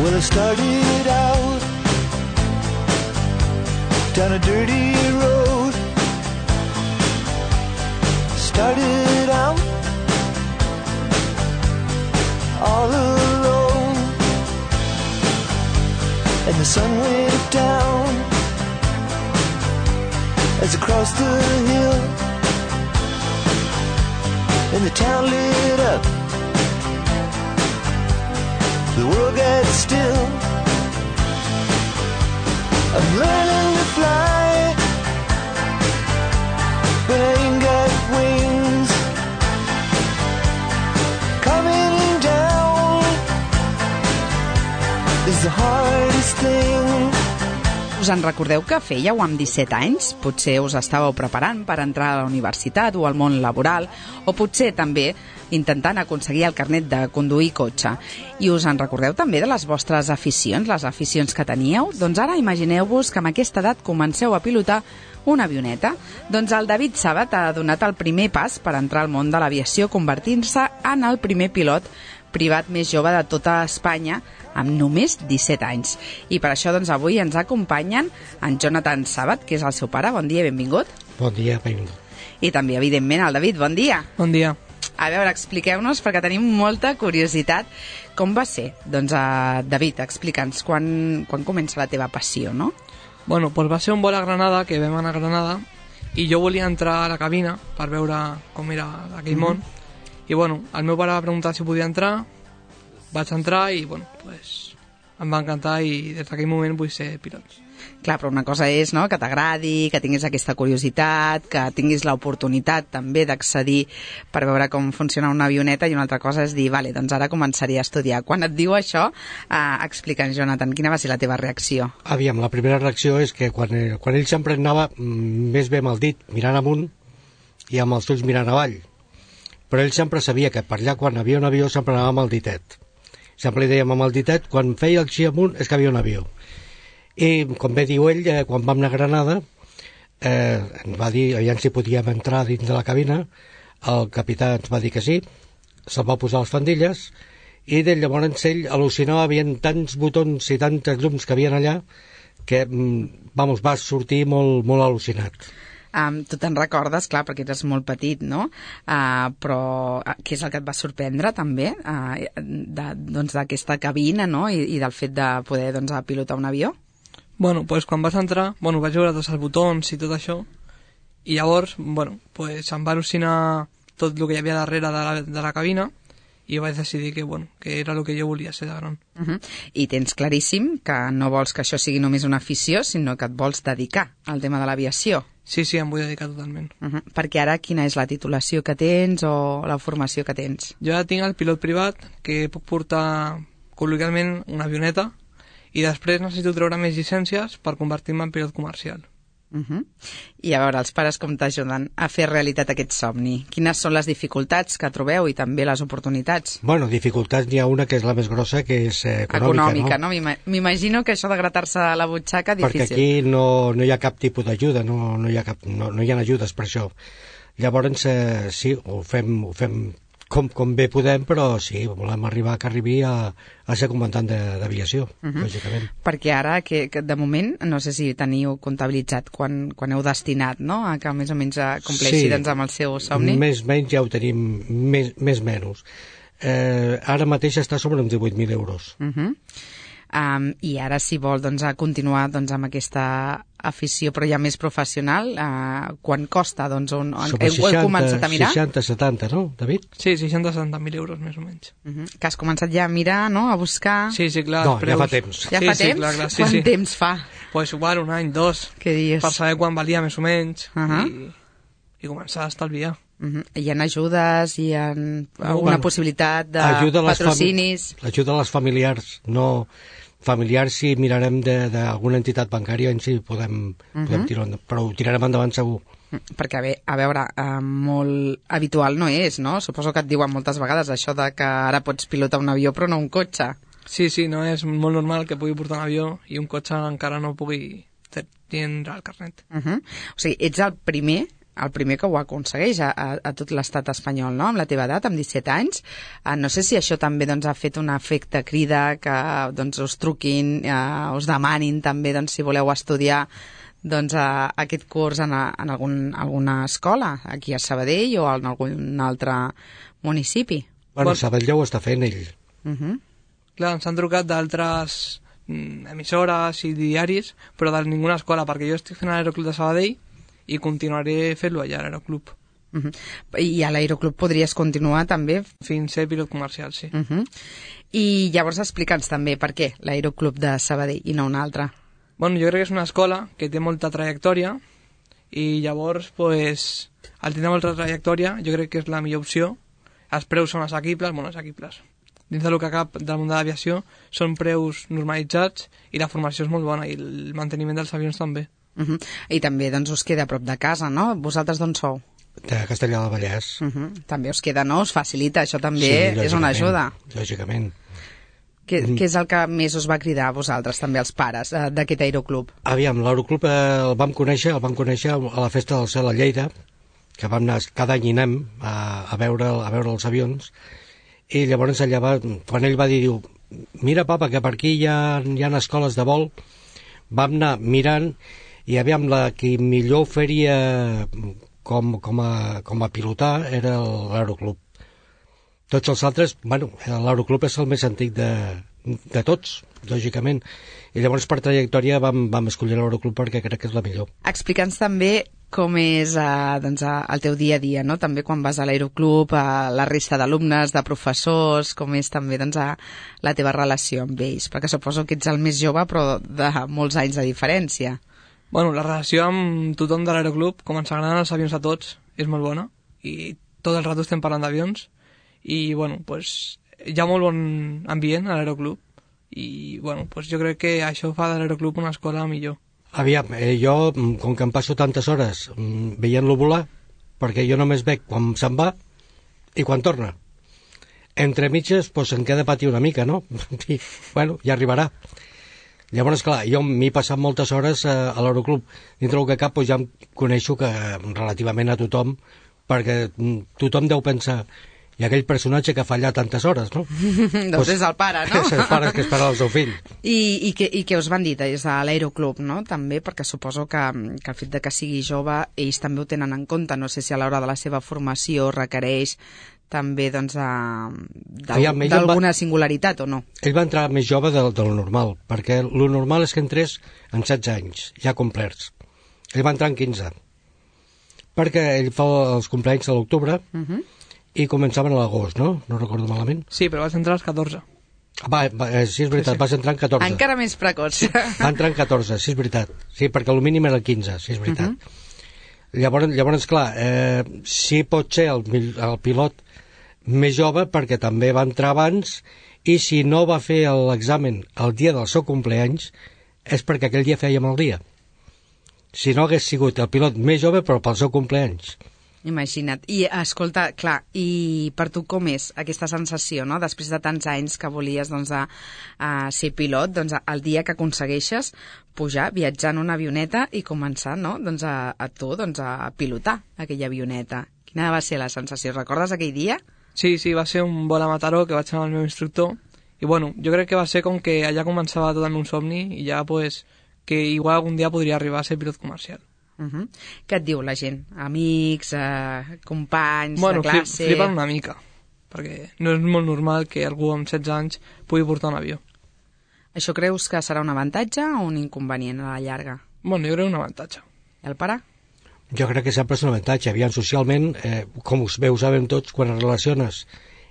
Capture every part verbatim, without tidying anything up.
Well, I started out down a dirty road. Started out all alone, and the sun went down as I crossed the hill, and the town lit up. The world got still. I'm learning to fly, but I ain't got wings. Coming down is the hardest thing. Us en recordeu que fèieu amb disset anys? Potser us estàveu preparant per entrar a la universitat o al món laboral, o potser també intentant aconseguir el carnet de conduir cotxe. I us en recordeu també de les vostres aficions, les aficions que teníeu? Doncs ara imagineu-vos que amb aquesta edat comenceu a pilotar una avioneta. Doncs el David Sàbat ha donat el primer pas per entrar al món de l'aviació, convertint-se en el primer pilot privat més jove de tota Espanya, amb només disset anys. I per això doncs, avui ens acompanyen en Jonathan Sàbat, que és el seu pare. Bon dia i benvingut. Bon dia, benvingut. I també, evidentment, el David. Bon dia. Bon dia. A veure, expliqueu-nos, perquè tenim molta curiositat, com va ser? Doncs, uh, David, explica'ns quan, quan comença la teva passió, no? Bueno, doncs va ser un vol a Granada, que vam anar a Granada, i jo volia entrar a la cabina per veure com era aquell mm-hmm. món. I bueno, el meu pare va preguntar si podia entrar, vaig entrar i bueno, pues, em va encantar i des d'aquell moment vull ser pilot. Clar, però una cosa és, no?, que t'agradi, que tinguis aquesta curiositat, que tinguis l'oportunitat també d'accedir per veure com funciona una avioneta, i una altra cosa és dir, vale, doncs ara començaria a estudiar. Quan et diu això, eh, explica'ns, Jonathan, quina va ser la teva reacció? Aviam, la primera reacció és que quan, quan ell sempre anava més bé amb el dit mirant amunt i amb els ulls mirant avall, però ell sempre sabia que per allà quan havia un avió sempre anava amb el ditet. Sempre li dèiem amb el ditet, quan feia el xi amunt és que havia un avió. I, com bé diu ell, eh, quan vam anar a Granada, eh, ens va dir, aviam si podíem entrar dins de la cabina, el capità ens va dir que sí, se'l va posar les faldilles, i de llavors ell al·lucinava, hi havia tants botons i tantes llums que havien allà, que, vamos, va sortir molt, molt al·lucinat. Um, tu te'n recordes, clar, perquè eres molt petit, no? Uh, però uh, què és el que et va sorprendre també uh, de, doncs, d'aquesta cabina, no? I, i del fet de poder doncs, pilotar un avió? Bueno, pues quan vas entrar, bueno, vaig veure tots els botons i tot això, i llavors, bueno, pues em va al·lucinar tot el que hi havia darrere de la, de la cabina, i vaig decidir que, bueno, que era el que jo volia ser de gran. Uh -huh. I tens claríssim que no vols que això sigui només una afició, sinó que et vols dedicar al tema de l'aviació. Sí, sí, em vull dedicar totalment. Uh -huh. Perquè ara quina és la titulació que tens o la formació que tens? Jo ja tinc el pilot privat, que puc portar col·loquialment una avioneta, i després necessito treure més llicències per convertir-me en pilot comercial. Uh -huh. I a veure, els pares com t'ajuden a fer realitat aquest somni? Quines són les dificultats que trobeu i també les oportunitats? Bueno, dificultats n'hi ha una que és la més grossa, que és eh, econòmica, econòmica, no? no? M'imagino que això de gratar-se a la butxaca és difícil. Perquè aquí no, no hi ha cap tipus d'ajuda, no, no, hi ha cap, no, no hi ha ajudes per això. Llavors, eh, sí, ho fem, ho fem com, com bé podem, però sí, volem arribar que arribi a, a ser comandant d'aviació, uh -huh. lògicament. Perquè ara, que, que de moment, no sé si teniu comptabilitzat quan, quan heu destinat, no?, a que més o menys compleixi sí, doncs, amb el seu somni. Més o menys ja ho tenim, més, més menys. Eh, ara mateix està sobre uns divuit mil euros. Uh -huh. Um, I ara, si vol doncs, a continuar doncs, amb aquesta afició, però ja més professional, uh, quan costa? Doncs, on, on, heu, seixanta, heu començat a mirar? seixanta, setanta, no, David? Sí, seixanta a setanta mil euros, més o menys. Uh -huh. Que has començat ja a mirar, no?, a buscar... Sí, sí, clar. No, preus... ja fa temps. Ja sí, fa sí, temps? Clar, clar, sí, Quant sí. temps fa? Pues igual un any, dos. Què dius? Per saber quan valia més o menys, uh -huh. i, i començar a estalviar. Uh -huh. Hi ha ajudes, hi ha alguna bueno, possibilitat de patrocinis... L'ajuda a les familiars, no... familiars si mirarem d'alguna entitat bancària en si podem, uh -huh. podem tirar, però ho tirarem endavant segur. Perquè, bé, a veure, eh, molt habitual no és, no? Suposo que et diuen moltes vegades això de que ara pots pilotar un avió però no un cotxe. Sí, sí, no és molt normal que pugui portar un avió i un cotxe encara no pugui tindre el carnet. Uh -huh. O sigui, ets el primer el primer que ho aconsegueix a, a, a tot l'estat espanyol, no?, amb la teva edat, amb disset anys. Uh, no sé si això també doncs, ha fet un efecte crida, que doncs, us truquin, uh, us demanin també doncs, si voleu estudiar doncs, uh, aquest curs en, a, en algun, alguna escola, aquí a Sabadell o en algun altre municipi. Bueno, Sabadell ho està fent ell. Uh -huh. Clar, ens han trucat d'altres mm, emissores i diaris, però de ninguna escola, perquè jo estic fent l'Aeroclub de Sabadell i continuaré fent-lo allà, a l'Aeroclub. Uh -huh. I a l'Aeroclub podries continuar també? Fins a ser pilot comercial, sí. Uh -huh. I llavors explica'ns també per què l'Aeroclub de Sabadell i no un altre. Bueno, jo crec que és una escola que té molta trajectòria i llavors, pues, al tenir molta trajectòria, jo crec que és la millor opció. Els preus són assequibles, bueno, assequibles. Dins del que cap del món de l'aviació són preus normalitzats i la formació és molt bona i el manteniment dels avions també. Uh -huh. I també doncs, us queda a prop de casa, no? Vosaltres d'on sou? De Castellà del Vallès. Uh -huh. També us queda, no? Us facilita, això també Sí, és una ajuda. Lògicament. Què, què és el que més us va cridar a vosaltres, també els pares, eh, d'aquest aeroclub? Aviam, l'Aeroclub eh, el vam conèixer, el vam conèixer a la Festa del Cel a Lleida, que vam anar, cada any hi anem a, a, veure, a veure els avions, i llavors allà va, quan ell va dir, diu, mira papa, que per aquí hi ha, hi ha escoles de vol, vam anar mirant, i aviam, la que millor faria com, com, a, com a pilotar era l'Aeroclub. Tots els altres, bueno, l'Aeroclub és el més antic de, de tots, lògicament, i llavors per trajectòria vam, vam escollir l'Aeroclub perquè crec que és la millor. Explica'ns també com és eh, doncs, el teu dia a dia, no? També quan vas a l'Aeroclub, a la resta d'alumnes, de professors, com és també doncs, a la teva relació amb ells, perquè suposo que ets el més jove però de molts anys de diferència. Bueno, la relació amb tothom de l'Aeroclub, com ens agraden els avions a tots, és molt bona i tot el rato estem parlant d'avions i, bueno, pues, hi ha molt bon ambient a l'Aeroclub i, bueno, pues, jo crec que això fa de l'Aeroclub una escola millor. Aviam, eh, jo, com que em passo tantes hores veient-lo volar, perquè jo només veig quan se'n va i quan torna. Entre mitges, doncs em queda patir una mica, no? I, bueno, ja arribarà. Llavors, clar, jo m'he passat moltes hores a, a l'Aeroclub. Dintre del que cap, doncs ja em coneixo que relativament a tothom, perquè tothom deu pensar i aquell personatge que fa allà tantes hores, no? doncs pues, és el pare, no? És el pare que espera el seu fill. I, i, que, I què us van dir des de l'Aeroclub, no? També, perquè suposo que, que el fet de que sigui jove, ells també ho tenen en compte. No sé si a l'hora de la seva formació requereix també doncs, d'alguna singularitat o no. Ell va entrar més jove de, de lo normal, perquè lo normal és que entrés en setze anys, ja complerts. Ell va entrar en quinze, perquè ell fa els compleanys a l'octubre, uh -huh. i començaven a l'agost, no? No recordo malament. Sí, però vas entrar als catorze. Va, va, eh, sí, és veritat, sí, sí. Vas entrar en catorze. Encara més precoç. Sí, va entrar en catorze, sí, és veritat. Sí, perquè el mínim era quinze, sí, és veritat. Uh -huh. Llavors, llavors, clar, eh, sí pot ser el, el pilot més jove perquè també va entrar abans i si no va fer l'examen el dia del seu compleanys és perquè aquell dia feia mal dia. Si no hagués sigut el pilot més jove però pel seu compleanys. Imagina't. I, escolta, clar, i per tu com és aquesta sensació, no?, després de tants anys que volies, doncs, a, a ser pilot, doncs, el dia que aconsegueixes pujar, viatjar en una avioneta i començar, no?, doncs, a, a tu, doncs, a pilotar aquella avioneta. Quina va ser la sensació? Recordes aquell dia? Sí, sí, va ser un vol a Mataró que vaig anar amb el meu instructor i, bueno, jo crec que va ser com que allà començava tot el meu somni i ja, pues, que igual algun dia podria arribar a ser pilot comercial. Uh -huh. Què et diu la gent? Amics, eh, companys, bueno, de classe... Bueno, flipen una mica, perquè no és molt normal que algú amb setze anys pugui portar un avió. Això creus que serà un avantatge o un inconvenient a la llarga? Bueno, jo crec un avantatge. I el pare? Jo crec que sempre és un avantatge. Aviam, socialment, eh, com us bé ho sabem tots, quan es relaciones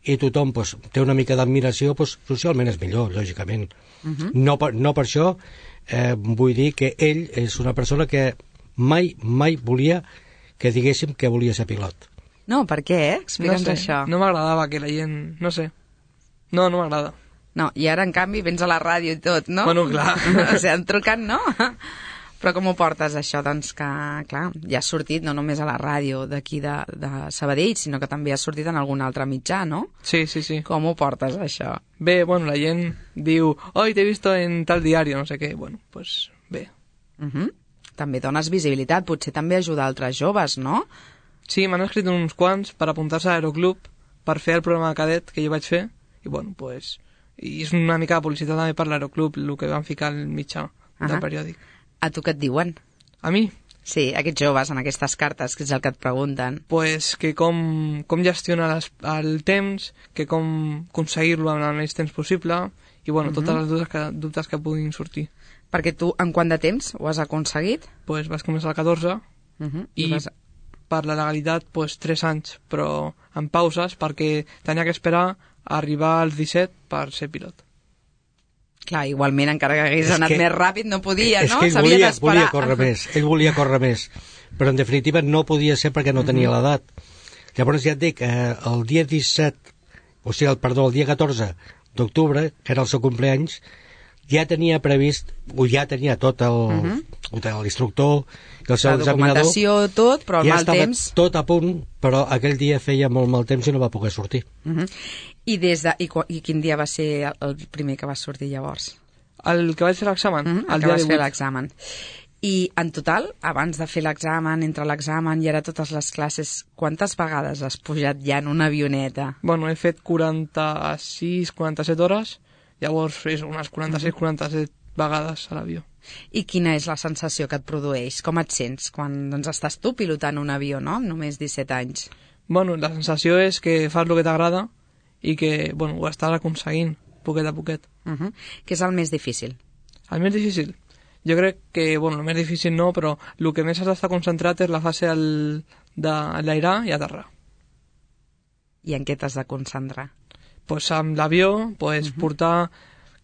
i tothom pues, té una mica d'admiració, pues, socialment és millor, lògicament. Uh -huh. no, per, no per això eh, vull dir que ell és una persona que mai, mai volia que diguéssim que volia ser pilot. No, per què, eh? Explica'ns no sé, això. No m'agradava que la gent... No sé. No, no m'agrada. No, i ara, en canvi, vens a la ràdio i tot, no? Bueno, clar. O sigui, han trucat, no? Però com ho portes, això? Doncs que, clar, ja has sortit no només a la ràdio d'aquí de, de Sabadell, sinó que també has sortit en algun altre mitjà, no? Sí, sí, sí. Com ho portes, això? Bé, bueno, la gent diu, hoy te he visto en tal diario, no sé què. Bueno, pues bé. Uh -huh. també dones visibilitat, potser també ajudar altres joves, no? Sí, m'han escrit uns quants per apuntar-se a Aeroclub per fer el programa de cadet que jo vaig fer i bueno, pues i és una mica de publicitat també per l'Aeroclub el que van ficar al mitjà del Ahà. periòdic. A tu què et diuen? A mi? Sí, aquests joves en aquestes cartes, que és el que et pregunten. Pues que com, com gestionar les, el temps, que com aconseguir-lo en el menys temps possible i bueno, uh -huh. totes les dubtes que, dubtes que puguin sortir. Perquè tu, en quant de temps ho has aconseguit? Pues vas començar al catorze Uh -huh. i, I vas... per la legalitat pues tres anys, però en pauses perquè tenia que esperar a arribar als disset per ser pilot. Clar, igualment, encara que hagués És anat que- més ràpid, no podia, és no? que ell S'havia volia, d'esperar. volia córrer més, ell volia córrer més, però en definitiva no podia ser perquè no tenia l'edat. Llavors ja et dic, eh, el dia disset, o sigui, el, perdó, el dia catorze d'octubre, que era el seu compleanys, ja tenia previst, o ja tenia tot el, uh -huh. l'instructor i el seu La examinador, documentació, tot, però el ja mal estava temps... tot a punt, però aquell dia feia molt mal temps i no va poder sortir. Uh -huh. I, des de, i, qu- I quin dia va ser el primer que va sortir llavors? El que vaig fer l'examen, Uh -huh. el El que dia vas fer divuit. l'examen. I en total, abans de fer l'examen, entre l'examen i ara totes les classes, quantes vegades has pujat ja en una avioneta? Bueno, he fet quaranta-sis quaranta-set hores, llavors és unes quaranta-sis quaranta-set vegades a l'avió. I quina és la sensació que et produeix? Com et sents quan doncs, estàs tu pilotant un avió, no?, amb només disset anys? Bueno, la sensació és que fas el que t'agrada i que, bueno, ho estàs aconseguint, poquet a poquet. Uh -huh. Què és el més difícil? El més difícil? Jo crec que, bueno, el més difícil no, però el que més has d'estar concentrat és la fase el, de l'airar i aterrar. I en què t'has de concentrar? Pues amb l'avió, pues, uh-huh. portar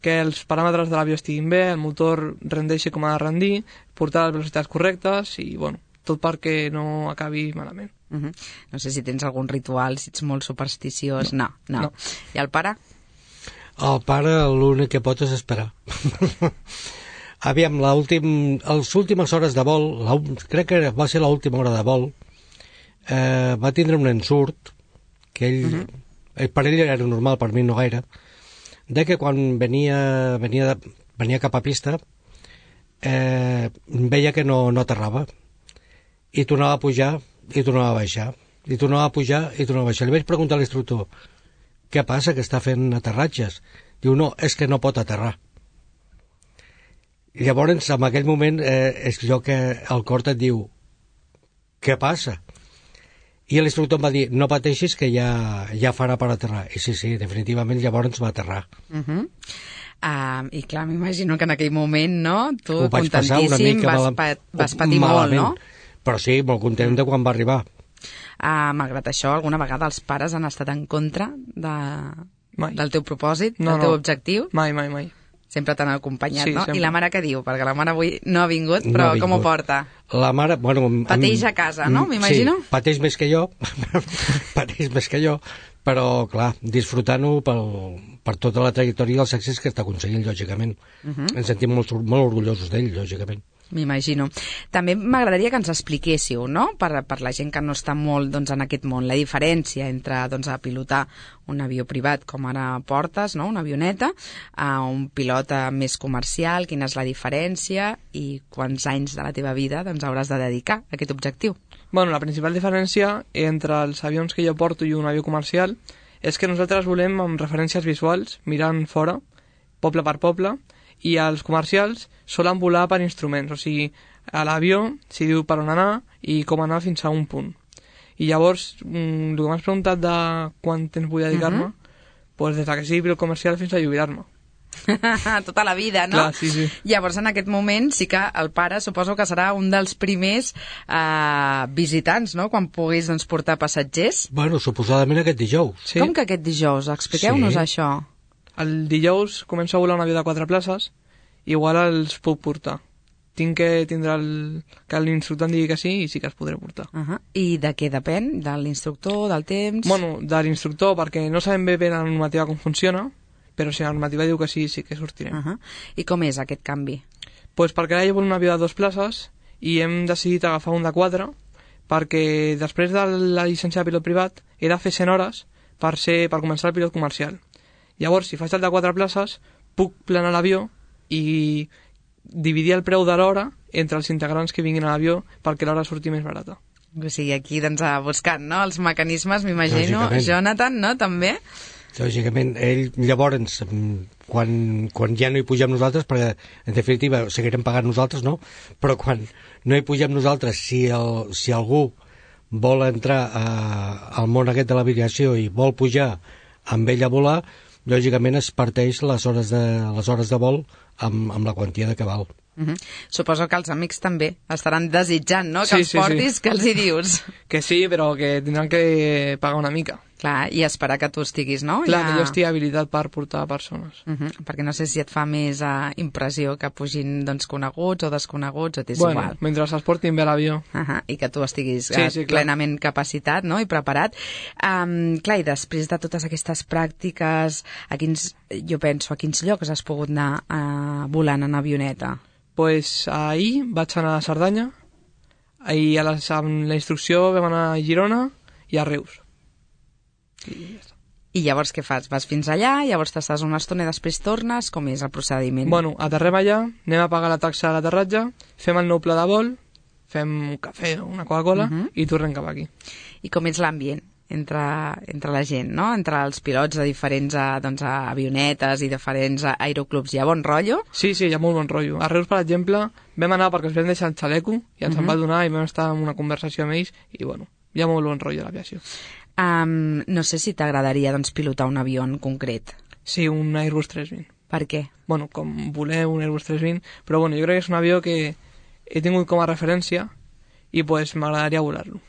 que els paràmetres de l'avió estiguin bé, el motor rendeixi com ha de rendir, portar les velocitats correctes i, bueno, tot perquè no acabi malament. Uh -huh. No sé si tens algun ritual, si ets molt supersticiós... No, no. no. no. I el pare? El pare l'únic que pot és esperar. Aviam, l'últim, les últimes hores de vol, la, crec que va ser l'última hora de vol, eh, va tindre un ensurt, que ell, uh -huh. ell, per ell era normal, per mi no gaire, de que quan venia, venia, de, venia cap a pista, eh, veia que no, no aterrava, i tornava a pujar, i tornava a baixar, i tornava a pujar, i tornava a baixar. Li vaig preguntar a l'instructor, què passa, que està fent aterratges? Diu, no, és que no pot aterrar. I llavors, en aquell moment, eh, és allò que el cor et diu, què passa? I l'instructor em va dir, no pateixis que ja, ja farà per aterrar. I sí, sí, definitivament llavors va aterrar. Uh -huh. uh, I clar, m'imagino que en aquell moment, no? Tu, Ho vaig passar una contentíssim, mica vas, mal... pa vas patir malament, molt, no? Però sí, molt content de quan va arribar. Uh, malgrat això, alguna vegada els pares han estat en contra de, Mai. del teu propòsit, No, del teu no. objectiu? Mai, mai, mai. Sempre t'han acompanyat, Sí, no? sempre. I la mare què diu? Perquè la mare avui no ha vingut, No però ha com ho vingut. porta? La mare, bueno... em- Pateix em- a casa, no? M'imagino. Sí, pateix més que jo, pateix més que jo, però, clar, disfrutant-ho pel, per tota la trajectòria i els èxits que està aconseguint, lògicament. Uh -huh. Ens sentim molt, molt orgullosos d'ell, lògicament. M'imagino. També m'agradaria que ens expliquéssiu, no?, per, per la gent que no està molt doncs, en aquest món, la diferència entre doncs, a pilotar un avió privat, com ara portes, no?, una avioneta, a un pilot eh, més comercial, quina és la diferència i quants anys de la teva vida doncs, hauràs de dedicar a aquest objectiu. Bueno, la principal diferència entre els avions que jo porto i un avió comercial és que nosaltres volem amb referències visuals, mirant fora, poble per poble, i els comercials solen volar per instruments, o sigui, a l'avió s'hi diu per on anar i com anar fins a un punt. I llavors, mm, el que m'has preguntat de quant temps vull dedicar-me, uh -huh. pues des que sigui pilot comercial fins a jubilar-me. Tota la vida, no? Clar, sí, sí. Llavors, en aquest moment, sí que el pare suposo que serà un dels primers eh, visitants, no?, quan puguis doncs, portar passatgers. Bueno, suposadament aquest dijous. Sí. Com que aquest dijous? Expliqueu-nos Sí. això. El dijous començo a volar un avió de quatre places, igual els puc portar. Tinc que tindre el... que l'instructor em digui que sí i sí que els podré portar. Uh -huh. I de què depèn? De l'instructor, del temps? Bueno, de l'instructor, perquè no sabem bé bé la normativa com funciona, però si la normativa diu que sí, sí que sortirem. Uh -huh. I com és aquest canvi? Pues perquè ara jo volia un avió de dues places i hem decidit agafar un de quatre perquè després de la llicència de pilot privat he de fer cent hores per, ser, per començar el pilot comercial. Llavors, si faig el de quatre places, puc planar l'avió i dividir el preu de l'hora entre els integrants que vinguin a l'avió perquè l'hora surti més barata. O sigui, aquí doncs, buscant, no?, els mecanismes, m'imagino. Lògicament. Jonathan, no?, també? Lògicament, ell llavors, quan, quan ja no hi pugem nosaltres, perquè en definitiva seguirem pagant nosaltres, no? Però quan no hi pugem nosaltres, si, el, si algú vol entrar a, al món aquest de l'aviació i vol pujar amb ell a volar, lògicament es parteix les hores de, les hores de vol amb, amb la quantia de que val. Uh-huh. Suposo que els amics també estaran desitjant, no?, que Sí, els sí, portis, sí. que els hi dius. Que sí, però que tindran que pagar una mica. Clar, i esperar que tu estiguis, no? Clar, Ja... que jo estigui habilitat per portar persones. Uh-huh. Perquè no sé si et fa més uh, impressió que pugin doncs, coneguts o desconeguts, o t'és Bueno, igual. mentre es portin bé a l'avió. Uh-huh. I que tu estiguis Sí, uh, sí, clar. plenament capacitat, no?, i preparat. Um, clar, i després de totes aquestes pràctiques, a quins, jo penso, a quins llocs has pogut anar uh, volant en avioneta? Pues ahir vaig anar a Cerdanya, i a les, amb la instrucció vam anar a Girona i a Reus. I ja està. I llavors què fas? Vas fins allà, llavors t'estàs una estona i després tornes? Com és el procediment? Bueno, aterrem allà, anem a pagar la taxa de l'aterratge, fem el nou pla de vol, fem un cafè o una Coca-Cola, Mhm. i tornem cap aquí. I com és l'ambient entre, entre la gent, no?, entre els pilots de diferents eh, doncs, avionetes i diferents eh, aeroclubs? Hi ha bon rotllo? Sí, sí, hi ha molt bon rotllo. A Reus, per exemple, vam anar perquè els vam deixar el xaleco i ens Mhm. en va donar i vam estar en una conversació amb ells i, bueno, hi ha molt bon rotllo a l'aviació. Um, no sé si t'agradaria doncs, pilotar un avió en concret. Sí, un Airbus tres vint. Per què? Bueno, com voler un Airbus tres vint, però bueno, jo crec que és un avió que he tingut com a referència i pues m'agradaria volar-lo.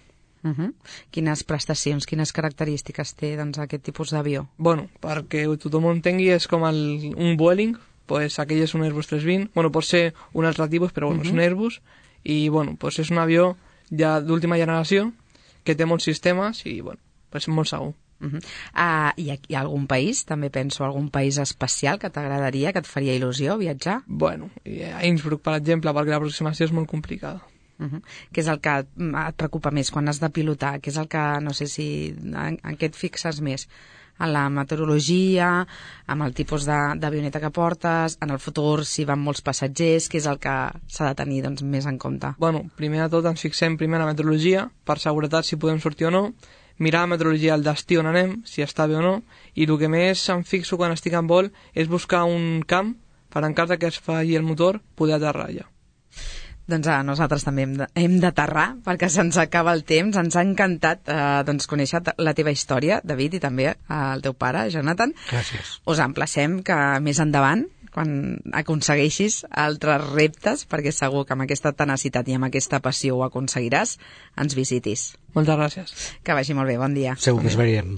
Uh -huh. Quines prestacions, quines característiques té doncs, aquest tipus d'avió? Bueno, perquè tothom ho entengui, és com el, un Vueling, pues aquell és un Airbus tres vint, bueno, pot ser un altre tipus, però bueno, uh -huh. és un Airbus, i bueno, pues és un avió ja d'última generació, que té molts sistemes i bueno, pues molt segur. Uh -huh. uh, hi, ha, hi ha algun país, també penso, algun país especial que t'agradaria, que et faria il·lusió viatjar? Bueno, i a Innsbruck, per exemple, perquè l'aproximació és molt complicada. Uh -huh. Què és el que et preocupa més quan has de pilotar? Què és el que, no sé si, en, en què et fixes més? En la meteorologia, amb el tipus d'avioneta que portes, en el futur si van molts passatgers, què és el que s'ha de tenir doncs, més en compte? Bueno, primer de tot ens fixem primer en la meteorologia, per seguretat si podem sortir o no, mirar la meteorologia al destí on anem, si està bé o no, i el que més em fixo quan estic en vol és buscar un camp per en cas que es falli el motor, poder aterrar allà. Doncs a nosaltres també hem de- hem d'aterrar perquè se'ns acaba el temps. Ens ha encantat eh, doncs, conèixer la teva història, David, i també eh, el teu pare, Jonathan. Gràcies. Us emplacem que més endavant, quan aconsegueixis altres reptes, perquè segur que amb aquesta tenacitat i amb aquesta passió ho aconseguiràs, ens visitis. Moltes gràcies. Que vagi molt bé, bon dia. Segur que es veiem.